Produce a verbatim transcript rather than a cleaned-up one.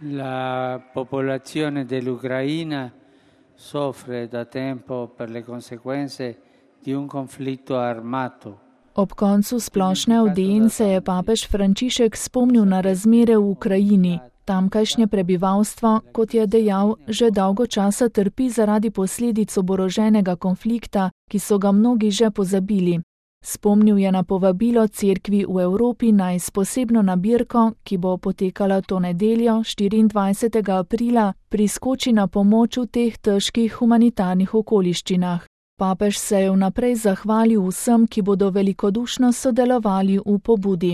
La popolazione dell'Ucraina soffre da tempo per le conseguenze di un conflitto armato. Ob koncu splošne audience je papež Frančišek spomnil na razmere v Ukrajini. Tamkajšnje prebivalstvo, kot je dejal, že dolgo časa trpi zaradi posledic oboroženega konflikta, ki so ga mnogi že pozabili. Spomnil je na povabilo cerkvi v Evropi naj s posebno nabirko, ki bo potekala to nedeljo, štiriindvajsetega aprila, priskoči na pomoč v teh težkih humanitarnih okoliščinah. Papež se je vnaprej zahvalil vsem, ki bodo velikodušno sodelovali v pobudi.